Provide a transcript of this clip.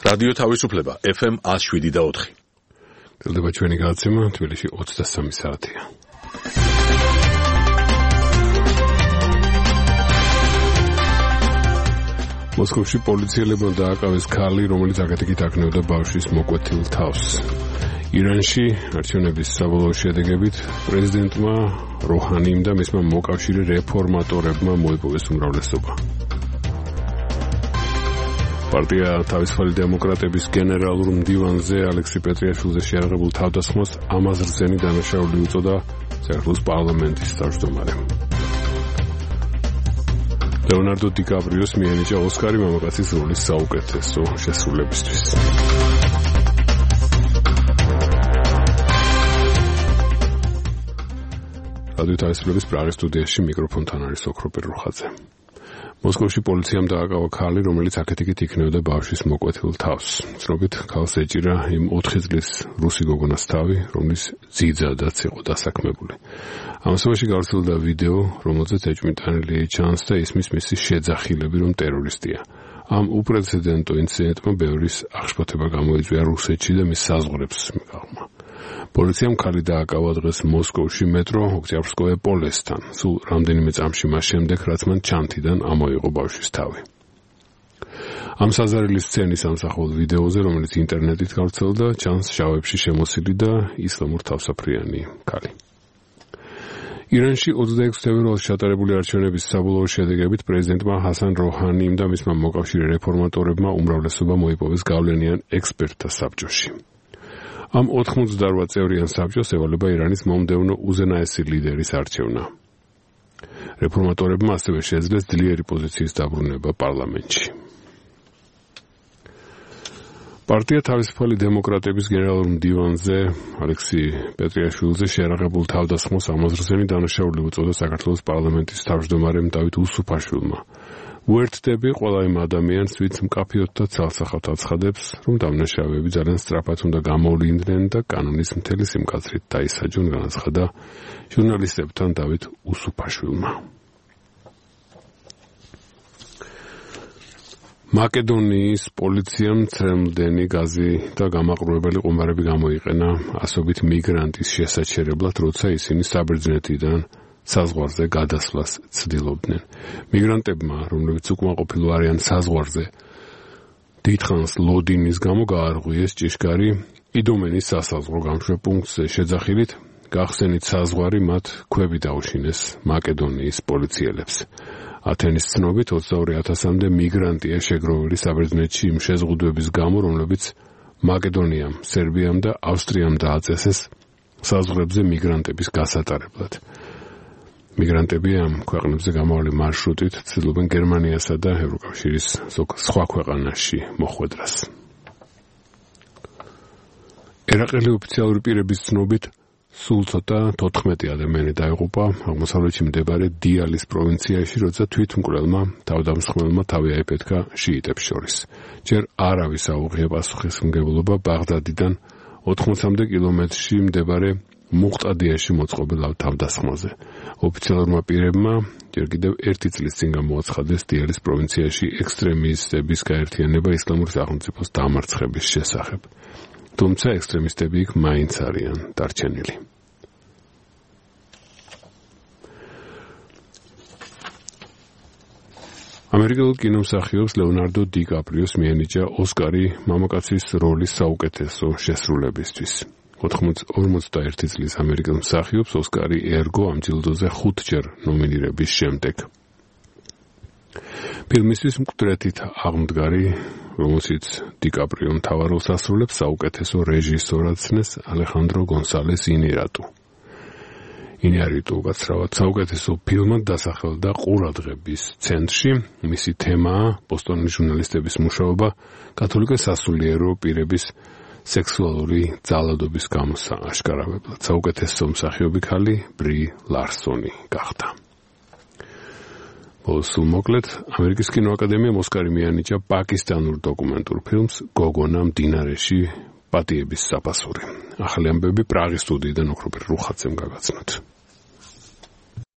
რადიო თავისუფლება FM 107.4. გელდება ჩვენი გადაცემა თბილისში 23 საათია. მოსკოვში პოლიციელებმა დააკავეს ქალი, რომელიც აკეთიკით აკნევდა ბავშვის მოკვეთილ თავს. ირანში არჩევნების საბოლოო შედეგებით პრეზიდენტმა როჰანიმ და მისმა მოკავშირე რეფორმატორებმა მოიპოვეს უმრავლესობა. პარტია თავისუფალი დემოკრატების გენერალურ მდივანზე ალექსი პეტრიაშვილზე შეიარაღებულ თავდასხმას ამაზრზენი დანაშაული უწოდა საქართველოს პარლამენტის თავმჯდომარემ. ლეონარდო დიკაპრიოს მიენიჭა ოსკარი მამაკაცის როლის საუკეთესო შესრულებისთვის. რადიო თავისუფლების პრაღის სტუდიაში მიკროფონთან არის ოქროპირ რუხაძე. მოსკოვში პოლიციამ დააკავა ქალი, რომელიც აკეთიკით იქნევდა ბავშვის მოკვეთილ თავს. ცნობით, ქალს ეჭირა იმ 4 წლის რუსი გოგონას თავი, რომლის ძიძადაც იყო დასაქმებული. ამასობაში გავრცელდა ვიდეო, რომელზეც ეჭვმიტანილი ჩანს და ისმის მისი შეძახილები, რომ ტერორისტია. ამ უპრეცედენტო ინციდენტმა ბევრის აღშფოთება გამოიწვია რუსეთში და მის საზღვრებს მიღმა. პოლიციამ ქალი დააკავა დღეს მოსკოვში მეტრო ოქტიაბრსკოე პოლესთან, სულ რამდენიმე წამში მას შემდეგ, რაც მან ჩანთიდან ამოიღო ბავშვის თავი. ამ საზარელი სცენის ამსახველ ვიდეოზე, რომელიც ინტერნეტით გავრცელდა, ჩანს შავებში შემოსილი და ისლამურ თავსაფრიანი ქალი. ირანში 26 თებერვალს ჩატარებული არჩევნების საბოლოო შედეგებით პრეზიდენტმა ჰასან როჰანიმ და მისმა მოკავშირე რეფორმატორებმა უმრავლესობა მოიპოვეს გავლენიან ექსპერტთა საბჭოში. ამ 88 წევრიან საბჭოს ევალება ირანის მომდევნო უზენაესი ლიდერის არჩევნა. რეფორმატორებმა ასევე შეძლეს ძლიერი პოზიციის დაბრუნება პარლამენტში. პარტია თავისუფალი დემოკრატების გენერალურ მდივანზე ალექსი პეტრიაშვილზე შეიარაღებულ თავდასხმას ამაზრზენი დანაშაული უწოდა საქართველოს პარლამენტის თავმჯდომარემ დავით უსუფაშვილმა. უერთდები ყველა იმ ადამიანს, ვინც მკაფიოდ და ცალსახავთ აცხადებს, რომ დამნაშავეები ძალიან სწრაფად უნდა გამოვლიდნენ და კანონის მთელი სიმკაცრით დაისაჯონ, განაცხადა ჟურნალისტებთან დავით უსუფაშვილმა. მაკედონიის პოლიციამ ცრემლდენი გაზი და გამაყრუებელი ყუმბარები გამოიყენა ასობით მიგრანტის შესაჩერებლად, როცა ისინი საბერძნეთიდან საზღვარზე გადასვლას ცდილობდნენ. მიგრანტებმა, რომლებიც უკმაყოფილო არიან საზღვარზე, დიდხანს ლოდინის გამო გაარღვიეს ჭიშკარი იდომენის სასაზღვრო გამშვებ პუნქტზე შეძახილით, გახსენით საზღვარი მათ ქვები დაუშინეს მაკედონიის პოლიციელებს. ათენის ცნობით 22,000-მდე მიგრანტია შეგროვილი საბერძნეთში იმ შეზღუდვების გამო, რომლებიც მაკედონიამ, სერბიამ და ავსტრიამ დააწესეს საზღვრებზე მიგრანტების გასატარებლად. მიგრანტები ამ ქვეყნებზე გამავალი მარშრუტით ცდილობენ გერმანიასა და ევროკავშირის სხვა ქვეყანაში მოხვედრას. ერაყელი ოფიციალური პირების ცნობით, სულ ცოტა 14 ადამიანი დაიღუპა აღმოსავლეთში მდებარე დიალის პროვინციაში, როცა თვითმკვლელმა თავდამსხმელმა თავი აიფეთქა შიიტებს შორის. ჯერ არავის აუღია პასუხისმგებლობა ბაღდადიდან 80-მდე კილომეტრში მდებარე მუყტადიაში მოწყობილ თავდასხმაზე. ოფიციალურმა პირებმა ჯერ კიდევ 1 წლის წინ გამოაცხადეს დიალის პროვინციაში ექსტრემისტების გაერთიანება ისლამური სახელმწიფოს დამარცხების შესახებ. თუმცა ექსტრემისტები იქ მაინც არიან დარჩენილი. ამერიკელ კინომსახიობს ლეონარდო დიკაპრიოს მიენიჭა ოსკარი მამაკაცის როლის საუკეთესო შესრულებისთვის. 41 წლის ამერიკელ მსახიობს ოსკარი ერგო ამ ჯილდოზე 5-ჯერ ნომინირების შემდეგ. ფილმისთვის მკვდრეთით აღმდგარი, რომელშიც დიკაპრიო მთავარ როლს ასრულებს, საუკეთესო რეჟისორად ცნეს ალეხანდრო გონსალეს ინიარიტუ. ინიარიტუ გაცრავად საუკეთესო ფილმად დასახელდა ყურადღების ცენტრში. მისი თემაა ბოსტონის ჟურნალისტების მუშაობა კათოლიკე სასულიერო პირების სექსუალური ძალადობის გამოსაშკარავებლად. საუკეთესო მსახიობი ქალი ბრი ლარსონი გახდა. სულ მოკლედ, ამერიკის კინოაკადემიამ ოსკარი მიანიჭა პაკისტანურ დოკუმენტურ ფილმს გოგონა მდინარეში პატიების საფასური. ახალი ამბები პრაღის სტუდიიდან ოქროპირ რუხაძემ გაგაცნოთ.